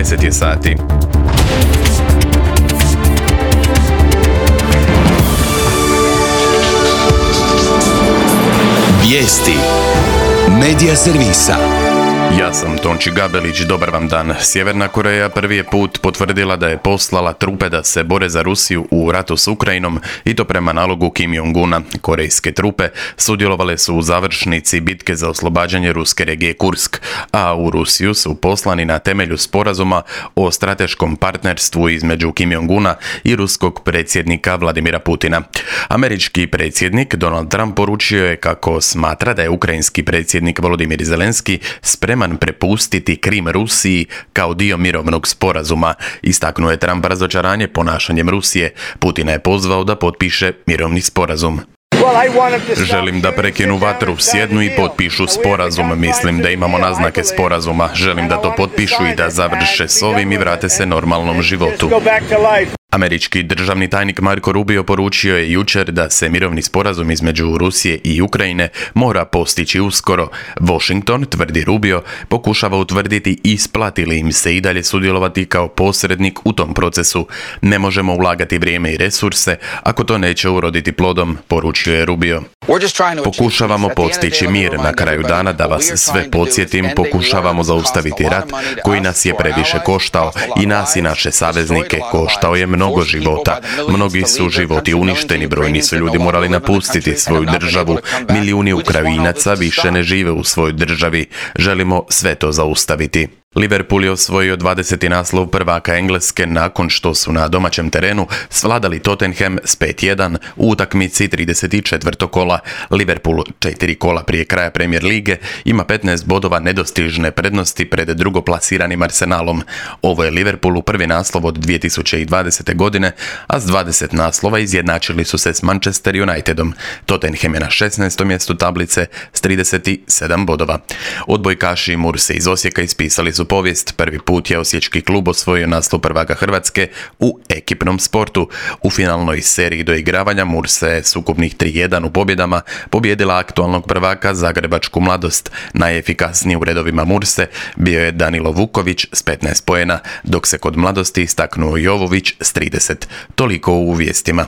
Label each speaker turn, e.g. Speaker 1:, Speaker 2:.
Speaker 1: 10 je sati.
Speaker 2: Vijesti Medija servisa.
Speaker 1: Ja sam Tonči Gabelić, dobar vam dan. Sjeverna Koreja prvi je put potvrdila da je poslala trupe da se bore za Rusiju u ratu s Ukrajinom i to prema nalogu Kim Jong-una. Korejske trupe sudjelovale su u završnici bitke za oslobađanje ruske regije Kursk, a u Rusiju su poslani na temelju sporazuma o strateškom partnerstvu između Kim Jong-una i ruskog predsjednika Vladimira Putina. Američki predsjednik Donald Trump poručio je kako smatra da je ukrajinski predsjednik Volodimir Zelenski spreman prepustiti Krim Rusiji kao dio mirovnog sporazuma. Istaknuo je Trump razočaranje ponašanjem Rusije. Putina je pozvao da potpiše mirovni sporazum. Želim da prekinu vatru, sjednu i potpišu sporazum. Mislim da imamo naznake sporazuma. Želim da to potpišu i da završe s ovim i vrate se normalnom životu. Američki državni tajnik Marco Rubio poručio je jučer da se mirovni sporazum između Rusije i Ukrajine mora postići uskoro. Washington, tvrdi Rubio, pokušava utvrditi isplati li im se i dalje sudjelovati kao posrednik u tom procesu. Ne možemo ulagati vrijeme i resurse ako to neće uroditi plodom, poručio je Rubio. Pokušavamo postići mir. Na kraju dana, da vas sve podsjetim, pokušavamo zaustaviti rat koji nas je previše koštao i nas i naše saveznike. Koštao je mnogo života. Mnogi su životi uništeni, brojni su ljudi morali napustiti svoju državu. Milijuni Ukrajinaca više ne žive u svojoj državi. Želimo sve to zaustaviti. Liverpool je osvojio 20. naslov prvaka Engleske nakon što su na domaćem terenu svladali Tottenham s 5-1 u utakmici 34. kola. Liverpool 4 kola prije kraja Premier lige ima 15 bodova nedostižne prednosti pred drugoplasiranim Arsenalom. Ovo je Liverpoolu prvi naslov od 2020. godine, a s 20 naslova izjednačili su se s Manchester Unitedom. Tottenham je na 16. mjestu tablice s 37 bodova. Odbojkaši Murse iz Osijeka ispisali su povijest. Prvi put je osječki klub osvojio naslov prvaka Hrvatske u ekipnom sportu. U finalnoj seriji doigravanja Murse je s ukupnih 3-1 u pobjedama pobijedila aktualnog prvaka Zagrebačku Mladost. Najefikasniji u redovima Murse bio je Danilo Vuković s 15 poena, dok se kod Mladosti istaknuo Jovović s 30. Toliko u vijestima.